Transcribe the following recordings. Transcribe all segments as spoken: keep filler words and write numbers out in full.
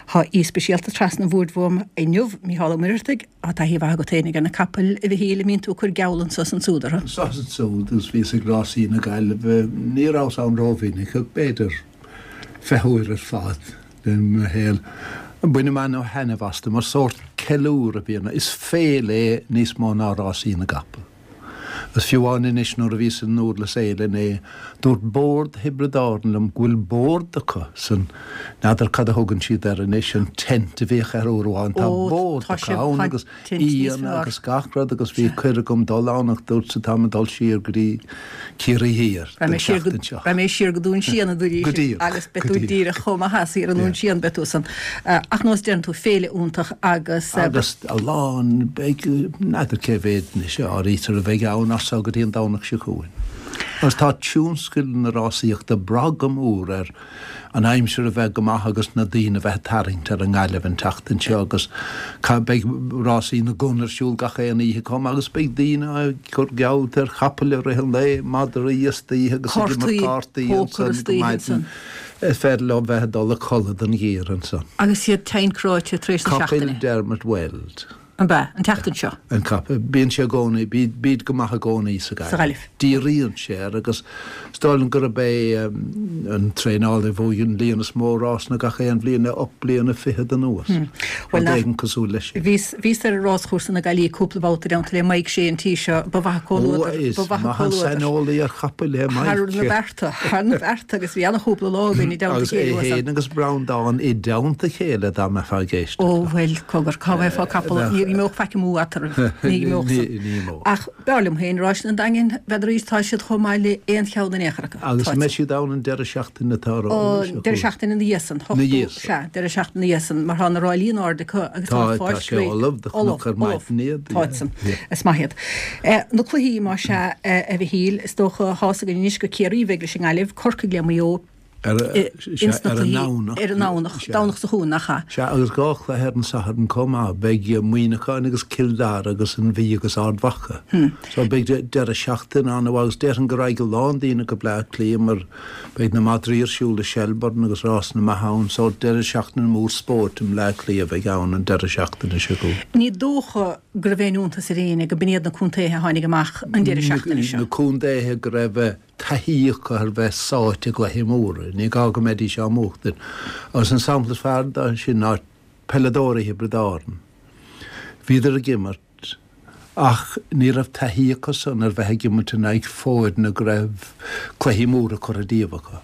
Tá aoi speisialta trasna an bhoird uaim inniu, Mícheál Ó Muircheartaigh. Tá taithí mhaith agat féinig ar na capaill, a Mhichíl, an mbíonn tú ag cur geall anso is ansúd orthu? Anso is ansúd agus bhíos ag rásaí na Gaillimhe, ní rabhas ann rómhinic ach b'fhéidir fiche uair ar fad i mo shaol. Bainim ana-thaitneamh astu mar sórt ceiliúradh a bhíonn, is féile é níos mó ná rásaí na gcapall. Agus fiú amháin anois nuair a bhíos i nDúrlas Éile inné, dúirt bord Thiobraid Árann liom go bhfuil bord acu san, n'fheadar cad a thugann siad air anois, an tent a bhíodh air uair amháin, tá Ó, bord tá acu sé, ann tá agus tent níos aíonna fearr. agus gach rud agus bhí cuireadh agam dul ann ach dúrtsa táim ag dul siar go dtí Ciarraí Thiar Raghaidh don mé siar go, tseachtain seo. raghaidh mé siar go Dún Síon a dúirt Go sí díreach, agus beidh go tú díreach. díreach chomh maith as thiar i nDún Yeah. Síon, beidh tú san. Ach nós deireann tú, féile iontach agus. Agus a lán, beidh, n'fheadar cé mhéad anois a áirítear a bheidh ann as so go dtí an Domhnach seo chugainn. Agus tá tionscal na rásaíochta ag brath go mór ar an aimsir a bheith go maith agus na daoine a bheith ag tarraingt ar an nGaillimh an tseachtain seo agus beidh rásaí na gcon ar siúl gach aon oíche chomh maith agus beidh daoine ag cur geallta ar chapaill i rith an lae, madraí istoíche agus ag imirt Cártaí, cártaí pócar ansan go istoíche maidin. ansan. Is féidir leo bheith ag dul a chodladh den ghiar ansan. Agus iad tinn cráite tar éis na Capaill seachtaine. Dermot Weld. An bea, an tseachtain seo? An capall. Bíonn sé i gcónaí, bíd go maith i gcónaí sa Sa Ghaillimh. Díríonn sé air agus is dóigh liom gurb é an traenálaí a bhuaigh an líon is mó rásanna gach aon bhliain le ocht bliana fichead anuas. Bhuel, Rud éigin cosúil leis sin. Bhíos, bhíos ar an ráschúrsa na Gaillimhe cúpla babhta i dteannta le Mike Shea an tí seo. Ba mhaith an comhluadar, Ó, is ba mhaith an maith an comhluadar. saineolaí ar chapaill é Thar na Mike. bearta, thar na bearta agus bhí ana-chúpla lá againn i dteannta Agus é chéile uasal. féin agus Breandán i dteannta a chéile dá mbeifeá ag éisteacht Ó leo. bhuel, cogar, cá bhfaighfeá capall, ní imeodh faic amú eatarthu, ní imeodh san. Ní imeodh. Ach b'fhearr liom féin ráis an Daingin, n'fheadar tá siad chomh maith le aon cheann in aon chor acu. Agus Tá an mbeidh siad. siad ann an deireadh seachtaine atá Ó, romhainn seo deireadh chugainn? seachtaine ina dhiaidh san, Ina ochtú, dhiaidh san. sea, deireadh seachtaine ina dhiaidh san, mar tá na ráillí in airde acu agus tá Tá, an tá pháirc sé réidh. ullamh do Ullamh, chonac ar ullamh. maidin iad, Táid yeah, san. yeah. Is maith iad. Eh, na cluichí, más ea, eh, a Mhichíl, is dócha, tá's againn anois gur Ciarraí a bheidh leis an nGaillimh, Corcaigh le Maigh Eo, Ar ins na ar an cluichí nDomhnach. ar an nDomhnach, Domhnach seo chugainn, nach ea? Sea, agus dhá chluiche ar an Satharn chomh maith. Beidh Muineachán agus Cill Dara agus an Mhí agus Ard Mhacha. So beidh deireadh seachtaine an-mhaith agus déarfainn go raghaidh a lán daoine go Bleá Cliath mar beidh na madraí ar siúl i Shelbourne agus rásanna maithe ann. So deireadh seachtaine mór spóirt i mBleá Cliath a bheidh ann an deireadh seachtaine seo chugainn. Ní dócha go raibh aon iontas ar éinne go b'in iad na contaetha a tháinig amach an deireadh seachtaine seo. Na contaetha go raibh taithí acu ar bheith sáite i gcluichí móra. Ní gá go mbeidís á mbuachtaint. Agus an sampla is fearr de sin ná peileadóirí Thiobraid Árann. Bhíodar ag imirt ach ní raibh taithí acusan ar bheith ag imirt in aghaidh foirne go raibh cluichí móra curtha díobh acu.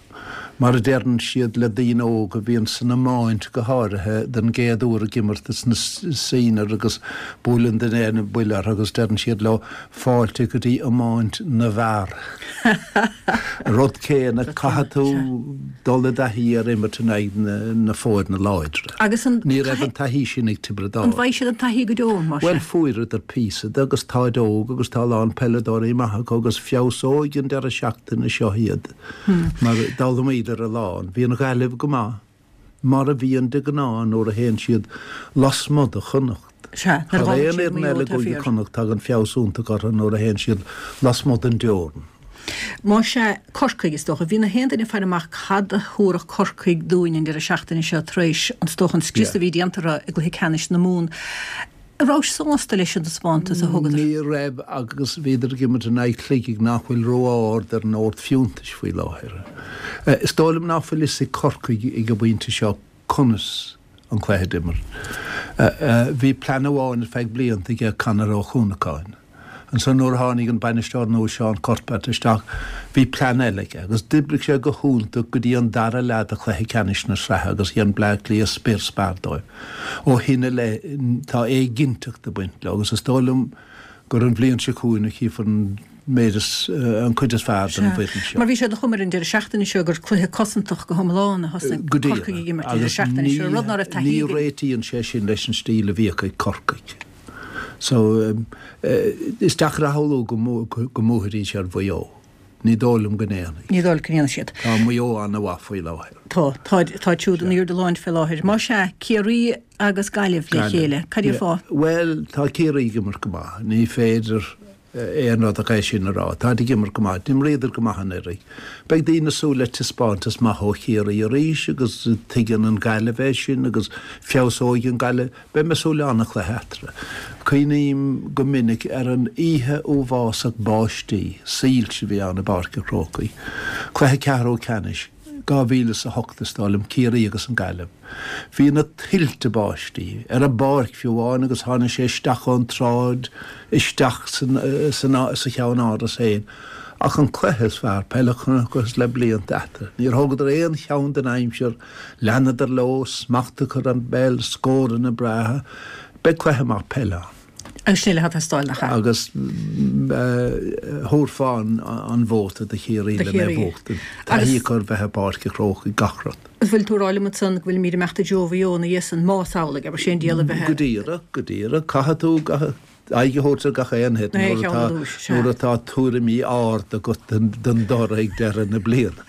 Mar a deireann siad le daoine óga a bhíonn san iomáint go háirithe den gcéad uair ag imirt sna senior agus buaileann duine an buille orthu agus deireann siad leo fáilte go dtí iomáint na bhfear. Rud céanna, caithfidh tú dul i dtaithí ar imirt in aghaidh na, na foirne láidre. Agus an Ní raibh an taithí sin ag Tiobraid An Árann. bhfaighidh siad an taithí go deo, mar Bhuel, sin? fuaireadar píosa de agus táid óg agus tá a lán peileadóirí maithe acu agus feabhsóidh an deireadh seachtaine seo iad. Mar d'fhoghlaimíodar a lán. Bhí an Ghaillimh go maith, mar a bhíonn de ghnáth nuair a théann siad lasmuigh de Chonnacht. Sea, nuair a Thar ghabhann aon siad fhoireann Maigh Eo eile i tá gCúige fíor. Chonnacht tagann feabhas iontach orthu nuair a théann siad lasmuigh den dteorainn. Más ea, Corcaigh, is dócha. Bhí na haon duine ag faire amach cad a thabharfadh Corcaigh dúinn an deireadh seachtaine seo tar éis an is dócha an scrios a bhí déanta orthu i gcluiche ceannais na Mumhan. An rabhais sásta leis an dtaispeántas a thugadar? Ní raibh agus bhíodar ag imirt in aghaidh Shligigh nach bhfuil ró-ard ar an ord fiúntais faoi láthair. Is dóigh liom nach bhfuil fhios ag Corcaigh ag an bpointe seo conas an cluiche d'imirt. Bhí plean amháin ar feadh blianta aige Conor Ó Cuanacháin. Ansan nuair a tháinig an bainisteoir nua Seán Cuthbert isteach bhí plean eile aige agus d'oibrigh sé go hiontach go dtí an dara leath de chluiche ceannais na sraithe agus dhein Bleá Cliath spior spear dóibh. Ó shin i leith tá éiginnteacht ag baint leo agus is dóigh liom gur an bhliain seo chugainn a chífear an méid is an chuid is fearr den Sea. bhfoireann seo. Mar bhí sé de chuma ar an deireadh seachtaine seo gur cluiche cosantach go hiomlán a thosnaigh Go Corcaigh díreach ag imirt an deireadh agus seachtaine ní seo, rud ná raibh taithí ní againn. réitíonn sé sin leis an stíl a bhíodh ag Corcaigh. So is deacair a shamhlú go go mbuafaidís ar Mhaigh Eo. Ní dóigh liom go ndéanfaidh. Ní dóigh go ndéanfaidh siad. Tá Maigh Eo an-mhaith faoi láthair. Tá, tá, tá siúd in airde láin fé láthair. Más ea, Ciarraí agus Gaillimh le Gaillimh. chéile. Cad é Yeah. fáth? Bhuel, tá Ciarraí ag imirt go maith. Ní féidir aon rud ach é sin a rá. Táid ag imirt go maith, d'imríodar go maith anuraidh. Beidh daoine ag súil le taispeántas maith ó Chiarraí arís agus tuigeann an Ghaillimh é sin agus feabhsóidh an Ghaillimh. Beidh mé ag súil le an-chluiche eatarthu. Cuimhním go minic ar an oíche uafásach báistí, soilse a bhí ann i bPáirc an Chrócaigh. Cluiche ceathrú ceannais. dhá mhíle is a hocht is dóigh liom, Ciarraí agus an Ghaillimh. Bhí na tuilte báistí ar an bpáirc fiú amháin agus tháinig sé isteach ón tsráid isteach sa cheannáras féin. Ach an cluiche is fearr peile a chonacthas le blianta eatarthu. Níor thógadar aon cheann den aimsir, leanadar leo, smacht acu ar an bpeil, scóranna breátha. Beidh cluiche maith peile ann. Agus sin uile atá ag teastáil, nach ea? Agus thabharfá an vóta do Chiarraí le mé a bhuachtaint. Taithí acu ar bheith i bPáirc an Chrócaigh, gach rud. An bhfuil tú ag rá liom ansan go bhfuilimid ag imeacht i dtreo Mhaigh Eo ina dhiaidh san, más amhlaidh, abair, sé an diabhal a bheith. Go díreach, go díreach. Caithfidh tú aghaidh a thabhairt ar gach aon thit nuair atá tuairimí arda agat don dtoradh ag deireadh na bliana.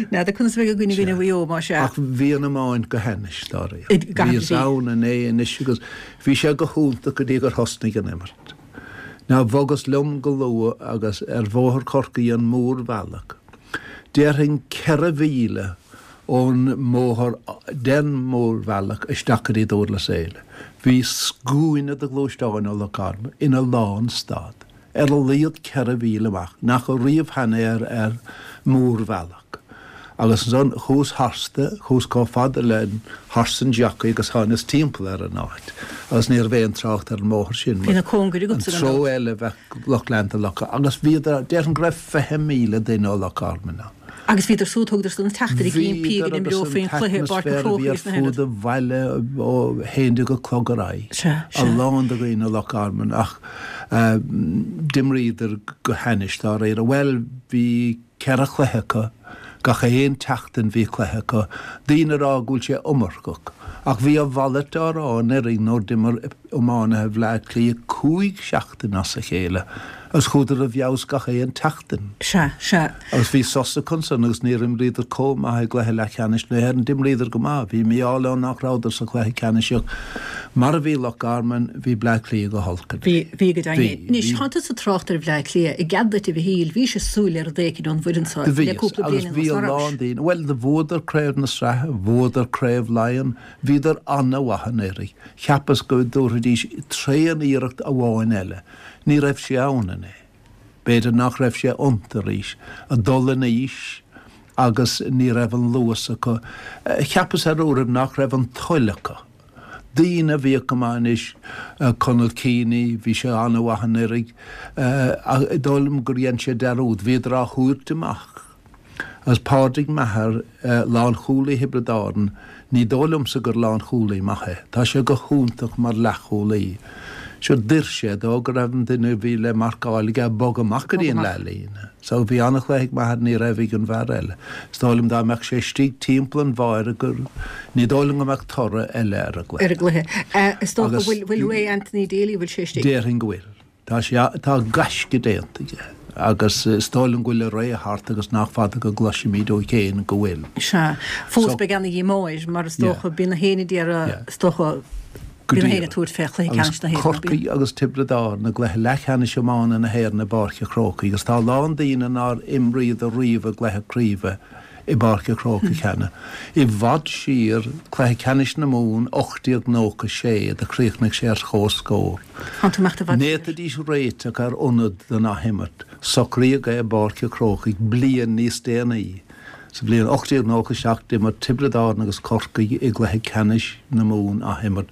N'fheadar conas a bheidh againn i gcoinne Mhaigh Eo, más ea. Ach bhí an iomáint go hainnis, dáiríre. Bhíos ann inné anois agus bhí sé go hiontach go dtí gur thosnaigh an imirt. Now bhogas liom go luath agus ar Bhóthar Chorcaí an mórbhealach, déarfainn ceithre mhíle ón mbóthar den mhórbhealach isteach go dtí Dúrlas Éile. Bhí scuaine de ghluaisteáin ó Loch Garman ina lánstad. Ar a laghad ceithre mhíle amach, nach raibh riamh cheana ar ar mórbhealach. Agus ansan chuas tharstu, chuas chomh fada le horse and jockey agus tháinas timpeall ar an áit agus ní raibh aon trácht ar an mbóthar sin Bhí na cóngair an agatsa gan treo dabht. eile bheadh lucht leanta Loch agus bhíodar, déarfainn go raibh fiche míle duine ó Loch Garman ann. Agus bhíodar súd, thugadar san teachtaireacht ag impí go Bhíodar agus n-imreofaí an an cluiche i bPáirc an t-atmaisféar a bhí Chrócaigh ar is na fud an bhaile ó haon déag a chlog ar aghaidh. Sea, A sea. lán de dhaoine ó Loch Garman ach d'imríodar go hainnis dáiríre. Bhuel, bhí ceithre chluiche acu, gach aon tseachtain bhí cluiche acu. Daoine a rá go bhfuil sé iomarcach. Ach bhí a mhalairt á rá anuraidh nuair d'imir iománaithe Bhleá Cliath cúig seachtain as a chéile agus chuadar i bhfeabhas gach aon tseachtain. Sea, sea. Agus bhí sos acu ansan agus níor imríodar chomh maith i gcluiche leathcheannais na hÉireann. D'imríodar go maith. Bhí mí-ádh leo nach rabhadar sa chluiche ceannais ach mar a bhí Loch Garman, bhí Bleá Cliath go holc Bhí, anois. bhí go deimhin. Bhí, Anois, bhí. tánn tusa ag trácht ar Bhleá Cliath. I gcead duit, a Mhichíl, bhís ag súil le rud éicint ón bhfoireann seo Do le bhíos, cúpla agus bliain bhí anuas, a ná lán rabhais? daoine, bhuel, do bhuadar Craobh na Sraithe, bhuadar Craobh Laighean, bhíodar ana-mhaith anuraidh. Cheapas go dtabharfaidís tréan-iarracht amháin eile. Ní raibh sé ann inné. B'fhéidir nach raibh sé iontu arís. Ag dul in aois agus ní raibh an luas acu. Cheapas ar uairibh nach raibh an toil acu. Daoine a bhíodh go maith anois, Conal Keaney, bhí sé an-mhaith anuraidh, ach is dóigh liom gur dhein sé dearúd, bhíodar á thabhairt amach. Agus Pádraig Maher, lánchúlaí Thiobraid Árann, ní dóigh liomsa gur lánchúlaí maith é. Tá sé go hiontach mar leathchúlaí. Sure, d'oir sé dó go raibh an duine a bhí le marcáil aige ag bogadh amach go dtí an leathlíne. So bhí an-chluiche ag Maher, ní raibh ag an bhfear eile. Is dóigh liom dá mbeadh sé istigh timpeall an bháire gur, ní dóigh liom go mbeadh toradh eile ar an Ar an gcluiche. gcluiche. Is dócha, Agus bhfuil, bhfuil ré Anthony Daly, bhfuil sé istigh? Déarfainn go bhfuil. Tá sé, tá gaisce déanta aige agus is dóigh liom go bhfuil a ré thart agus nach fada go gcloisfimid ó chéin go bhfuil. Sea. Fós So, beidh ana-dhíomá air mar is yeah, dócha, bíonn na héinne ag iarraidh, yeah. is dócha, Go bíonn na héinne ag díreach. tabhairt fé chluiche Agus ceannais na hÉireann, ná bíonn? Corcaigh agus Tiobraid Árann i gcluiche leathcheannais iomána na hÉireann i bPáirc an Chrócaigh agus tá a lán daoine nár imríodar riamh i gcluiche craoibhe i bPáirc an Chrócaigh cheana. I bhfad siar, cluiche ceannais na Mumhan ocht déag nócha sé, do chríochnaigh sé ar comhscór. Tánn tú ag imeacht i bhfad An siar. bhféadfaidís réiteach ar ionad don athimirt. Socraíodh é i bPáirc an Chrócaigh bliain níos déanaí. Sa bhliain ocht déag nócha seacht d'imir Tiobraid Árann agus Corcaigh i gcluiche ceannais na Mumhan athimirt.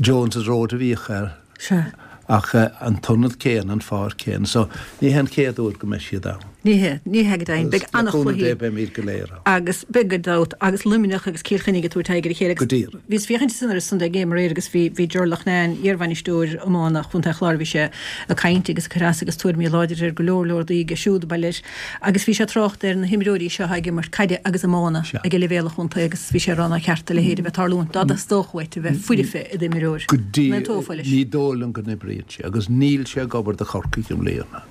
Jones's Road a bhíodh air Sea. ach an t-ionad céanna, an pháirc chéanna. So ní hé an chéad uair go mbeidh siad ann. Ní hea, ní hea go deimhin. Agus Beidh le cúnamh Dé an-chluichí beimid go léir ann. agus beidh gan dabht agus Luimneach agus Cill Chainnigh ag tabhairt aghaidh ar a chéile Go agus díreach. bhíos ag féachaint ansan ar an Sunday Game aréir agus bhí bhí Ger Loughnane, iarbhainisteoir iomána Chontae an Chláir, bhí sé ag caint agus ag cur as agus tuairimí láidre ar go leor leor rudaí aige siúd, ba leis agus bhí sé ag trácht ar na himreoirí seo atá ag imirt caide agus iomána Sea. ag leibhéal an chontae agus bhí sé ag rá nár cheart a leithéid a bheith ag tarlúint dá dteastódh uait a bheith foirfe i d'imreoir. Go dtí An aontófá leis? ní dóigh liom go n-oibríonn sé agus níl sé ag obair do Chorcaigh i mbliana.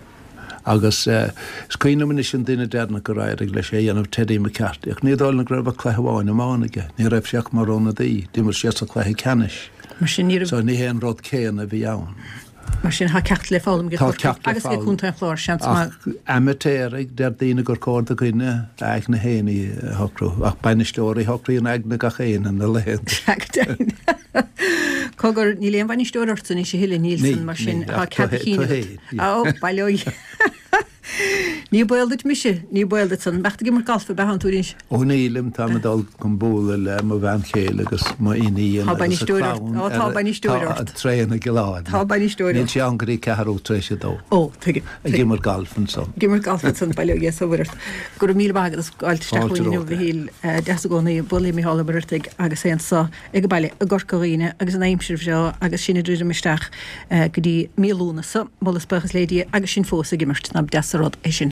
Agus is cuimhin liom anois an duine deireanach gur éirigh leis é a dhéanamh, Teddy McCarthy, ach ní dóigh liom go raibh ach cluiche amháin iomána aige. Ní raibh sé ach mar ionadaí. D'imir sé sa chluiche ceannais. Mar sin ní raibh. So ní hé an rud céanna a bhí ann. Mar sin tá ceacht le foghlaim ag Corcaigh agus ag Contae an Chláir, seans maith. Ach amaitéaraigh, deir daoine gur cóir do dhuine a aigne féin a shocrú, ach bainisteoirí a shocraíonn aigne gach éinne na laethanta. Sea, go deimhin. Cogar, níl aon bhainisteoir ortsa anois a thuilleadh, níl san, mar sin tá cead a chinn agat. Ó, bail ó Dhia. Ní baol duit mise, ní baol duit san. Mbeadh tú ag imirt galf ab ea thánn tú anois? Ó nílim, táim ag dul chun bualadh le mo bhean chéile agus mo iníon Tá agus a bainisteoir ort. clann Ó, tá ar bainisteoir tá ort. an traein i gCill Airne. Tá bainisteoir Níl ort. sé ann go dtí ceathrú tar éis a dó. Ó, tuigim, Ag tuigim. imirt galf ansan. Ag imirt galf ansan, bail ó Dhia is a Mhuire ort. Go raibh míle maith agat as gabháilt isteach Fáilte chugainn inniu, romhat. a Mhichíl. Deas i gcónaí bualadh le Micheál Ó Muircheartaigh agus é anso ag baile i gCorca Dhuibhne agus an aimsir bhreá agus sinn ag druidim isteach go dtí mí Lúnasa, moladh is buíochas le Dia agus sinn fós ag imirt, ná deas an rud é sin.